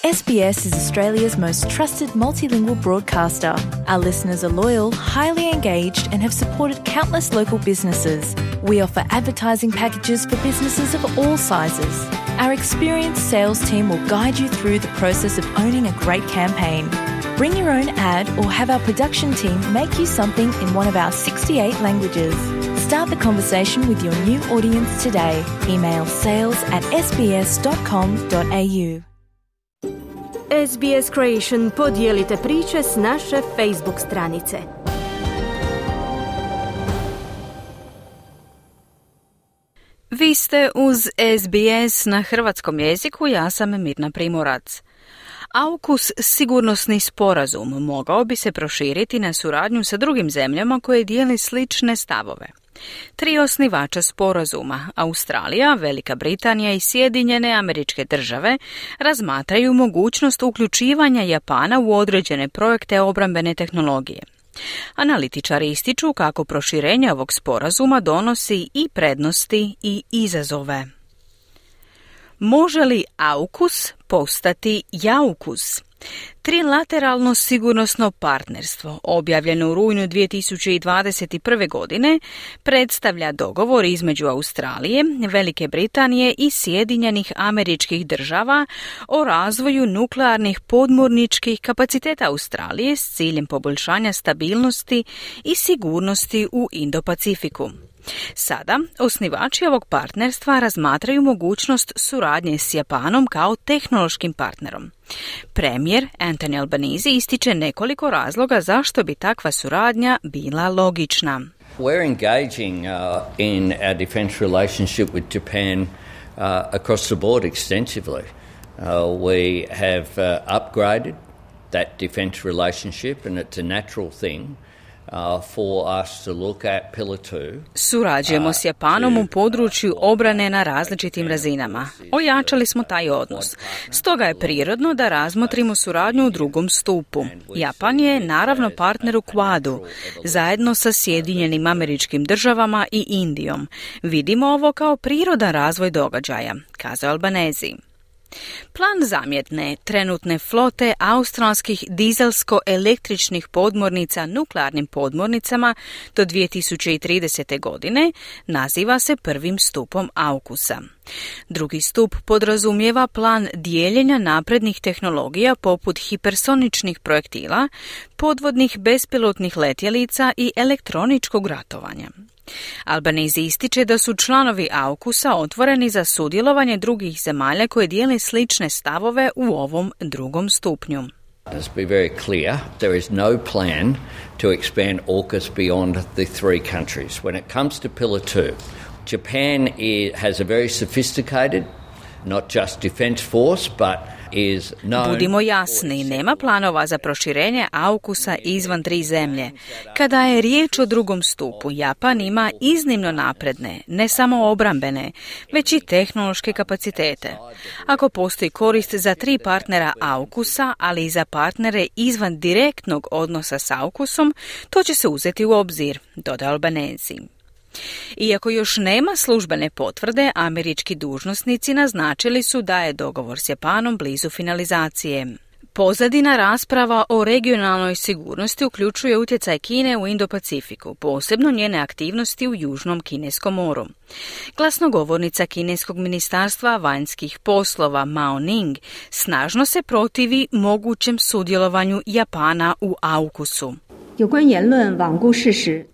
SBS is Australia's most trusted multilingual broadcaster. Our listeners are loyal, highly engaged, and have supported countless local businesses. We offer advertising packages for businesses of all sizes. Our experienced sales team will guide you through the process of owning a great campaign. Bring your own ad or have our production team make you something in one of our 68 languages. Start the conversation with your new audience today. Email sales@sbs.com.au. SBS Creation, podijelite priče s naše Facebook stranice. Vi ste uz SBS na hrvatskom jeziku, ja sam Mirna Primorac. AUKUS sigurnosni sporazum mogao bi se proširiti na suradnju sa drugim zemljama koje dijele slične stavove. 3 osnivača sporazuma, Australija, Velika Britanija i Sjedinjene Američke Države, razmatraju mogućnost uključivanja Japana u određene projekte obrambene tehnologije. Analitičari ističu kako proširenje ovog sporazuma donosi i prednosti i izazove. Može li AUKUS postati JAUKUS? Trilateralno sigurnosno partnerstvo, objavljeno u rujnu 2021. godine, predstavlja dogovor između Australije, Velike Britanije i Sjedinjenih Američkih Država o razvoju nuklearnih podmorničkih kapaciteta Australije s ciljem poboljšanja stabilnosti i sigurnosti u Indo-Pacifiku. Sada, osnivači ovog partnerstva razmatraju mogućnost suradnje s Japanom kao tehnološkim partnerom. Premijer Anthony Albanese ističe nekoliko razloga zašto bi takva suradnja bila logična. We're engaging in our defence relationship with Japan across the board extensively. We have upgraded that defence relationship and it's a natural thing. For us to look at Pillar 2. Surađujemo s Japanom u području obrane na različitim razinama. Ojačali smo taj odnos. Stoga je prirodno da razmotrimo suradnju u drugom stupu. Japan je naravno partner u Quadu, zajedno sa Sjedinjenim Američkim Državama i Indijom. Vidimo ovo kao prirodan razvoj događaja, kazao Albanese. Plan zamjetne trenutne flote australskih dizelsko-električnih podmornica nuklearnim podmornicama do 2030. godine naziva se prvim stupom AUKUS-a. Drugi stup podrazumijeva plan dijeljenja naprednih tehnologija poput hipersoničnih projektila, podvodnih bespilotnih letjelica i elektroničkog ratovanja. Albanese ističe da su članovi AUKUS-a otvoreni za sudjelovanje drugih zemalja koje dijele slične stavove u ovom drugom stupnju. Let's be very clear, there is no plan to expand AUKUS beyond the 3 countries. When it comes to Pillar 2, Japan has a very sophisticated, not just defense force, but Budimo jasni, nema planova za proširenje AUKUS-a izvan 3 zemlje. Kada je riječ o drugom stupu, Japan ima iznimno napredne, ne samo obrambene, već i tehnološke kapacitete. Ako postoji korist za 3 partnera AUKUS-a, ali i za partnere izvan direktnog odnosa s AUKUS-om, to će se uzeti u obzir, dodao Albanese. Iako još nema službene potvrde, američki dužnosnici naznačili su da je dogovor s Japanom blizu finalizacije. Pozadina rasprava o regionalnoj sigurnosti uključuje utjecaj Kine u Indo-Pacifiku, posebno njene aktivnosti u Južnom Kineskom moru. Glasnogovornica Kineskog ministarstva vanjskih poslova Mao Ning snažno se protivi mogućem sudjelovanju Japana u AUKUS-u.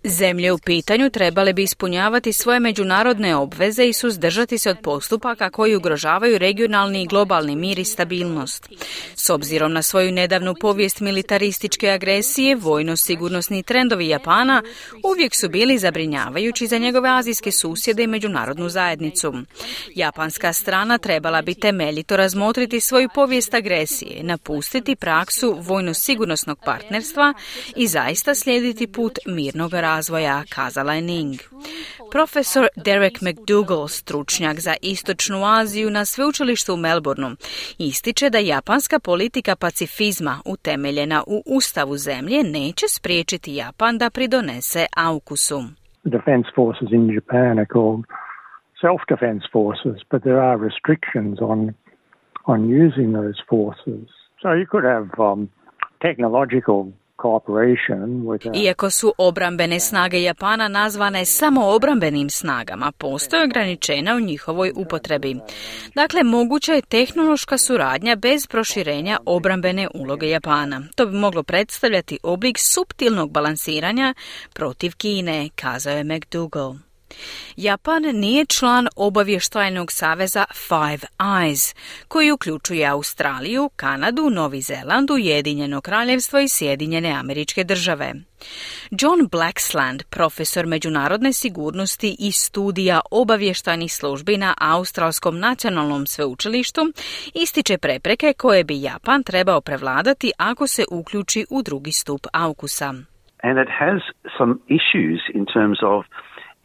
Zemlje u pitanju trebale bi ispunjavati svoje međunarodne obveze i suzdržati se od postupaka koji ugrožavaju regionalni i globalni mir i stabilnost. S obzirom na svoju nedavnu povijest militarističke agresije, vojno-sigurnosni trendovi Japana uvijek su bili zabrinjavajući za njegove azijske susjede i međunarodnu zajednicu. Japanska strana trebala bi temeljito razmotriti svoju povijest agresije, napustiti praksu vojno-sigurnosnog partnerstva i zaista slijediti put mirnog razvoja, kazala je Ning. Profesor Derek McDougall, stručnjak za Istočnu Aziju na sveučilištu u Melbourneu, ističe da japanska politika pacifizma utemeljena u ustavu zemlje neće spriječiti Japan da pridonese AUKUS-u. Defense forces in Japan are called self-defense forces, but there are restrictions on on using those forces. So you could have technological cooperation with Iako su obrambene snage Japana nazvane samo obrambenim snagama, postoje ograničenja u njihovoj upotrebi. Dakle, moguća je tehnološka suradnja bez proširenja obrambene uloge Japana. To bi moglo predstavljati oblik suptilnog balansiranja protiv Kine, kazao je McDougall. Japan nije član obavještajnog saveza Five Eyes, koji uključuje Australiju, Kanadu, Novi Zeland, Ujedinjeno kraljevstvo i Sjedinjene Američke Države. John Blaxland, profesor međunarodne sigurnosti i studija obavještajnih službi na Australskom nacionalnom sveučilištu, ističe prepreke koje bi Japan trebao prevladati ako se uključi u drugi stup AUKUS-a. And it has some issues in terms of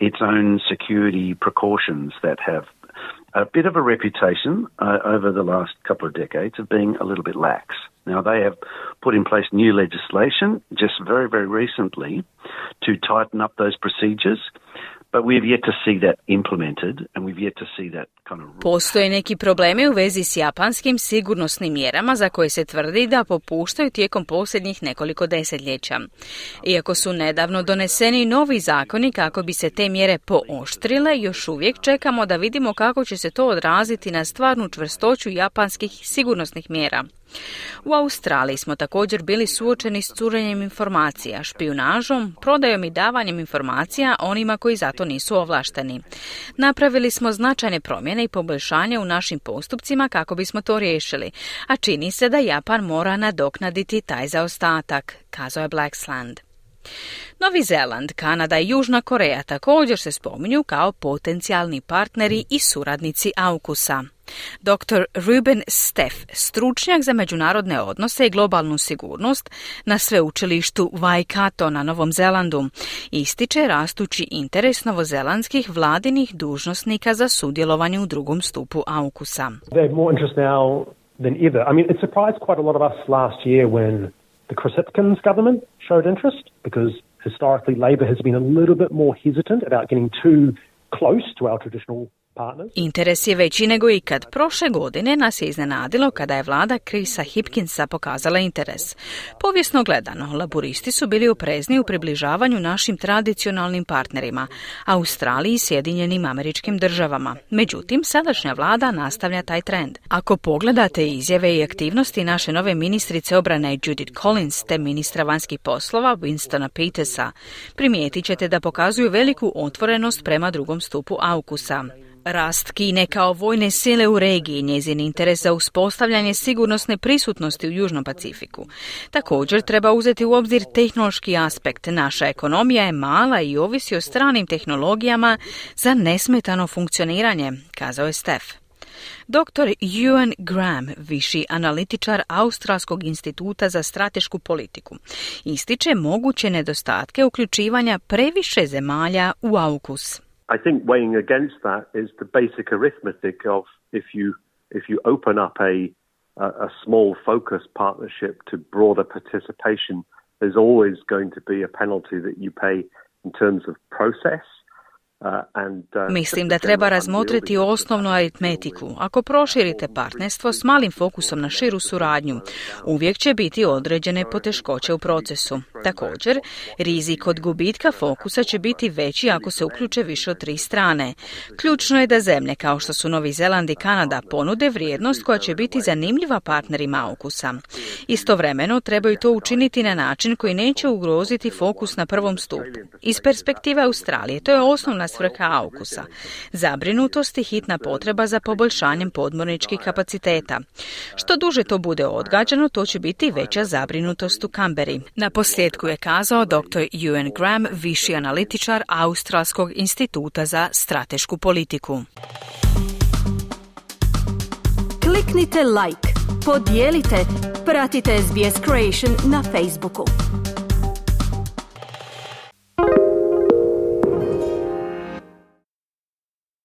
its own security precautions that have a bit of a reputation over the last couple of decades of being a little bit lax. Now, they have put in place new legislation just very, very recently to tighten up those procedures, but we've yet to see that implemented and we've yet to see that kind of... Postoje neki problemi u vezi s japanskim sigurnosnim mjerama za koje se tvrdi da popuštaju tijekom posljednjih nekoliko desetljeća. Iako su nedavno doneseni novi zakoni kako bi se te mjere pooštrile, još uvijek čekamo da vidimo kako će se to odraziti na stvarnu čvrstoću japanskih sigurnosnih mjera. U Australiji smo također bili suočeni s curenjem informacija, špijunažom, prodajom i davanjem informacija onima koji za to nisu ovlašteni. Napravili smo značajne promjene i poboljšanje u našim postupcima kako bismo to riješili, a čini se da Japan mora nadoknaditi taj zaostatak, kazao je Blaxland. Novi Zeland, Kanada i Južna Koreja također se spominju kao potencijalni partneri i suradnici AUKUS-a. Dr. Ruben Steff, stručnjak za međunarodne odnose i globalnu sigurnost na sveučilištu Waikato na Novom Zelandu, ističe rastući interes novozelandskih vladinih dužnosnika za sudjelovanje u drugom stupu AUKUS-a. They're more interested now than ever. I mean, it surprised quite a lot of us last year when the Chris Hipkins government showed interest, because historically Labor has been a little bit more hesitant about getting too close to our traditional partners. Interes je veći nego ikad. Prošle godine nas je iznenadilo kada je vlada Chrisa Hipkinsa pokazala interes. Povijesno gledano, laburisti su bili oprezni u približavanju našim tradicionalnim partnerima, Australiji i Sjedinjenim Američkim Državama. Međutim, sadašnja vlada nastavlja taj trend. Ako pogledate izjave i aktivnosti naše nove ministrice obrane Judith Collins te ministra vanjskih poslova Winstona Petersa, primijetit ćete da pokazuju veliku otvorenost prema drugom stupu AUKUS-a. Rast Kine kao vojne sile u regiji, njezin interes za uspostavljanje sigurnosne prisutnosti u Južnom Pacifiku. Također treba uzeti u obzir tehnološki aspekt. Naša ekonomija je mala i ovisi o stranim tehnologijama za nesmetano funkcioniranje, kazao je Steff. Dr. Ewan Graham, viši analitičar Australskog instituta za stratešku politiku, ističe moguće nedostatke uključivanja previše zemalja u AUKUS. I think weighing against that is the basic arithmetic of if you open up a small focus partnership to broader participation, there's always going to be a penalty that you pay in terms of process. Mislim da treba razmotriti osnovnu aritmetiku. Ako proširite partnerstvo s malim fokusom na širu suradnju, uvijek će biti određene poteškoće u procesu. Također, rizik od gubitka fokusa će biti veći ako se uključe više od 3 strane. Ključno je da zemlje kao što su Novi Zeland i Kanada ponude vrijednost koja će biti zanimljiva partnerima AUKUS-a. Istovremeno trebaju to učiniti na način koji neće ugroziti fokus na prvom stupu. Iz perspektive Australije to je osnovna svrha AUKUS-a. Zabrinutost i hitna potreba za poboljšanjem podmorničkih kapaciteta. Što duže to bude odgađano, to će biti veća zabrinutost u Kamberi. Na posljedku je kazao dr. Ewan Graham, viši analitičar Australskog instituta za stratešku politiku. Kliknite like, podijelite, pratite SBS Creation na Facebooku.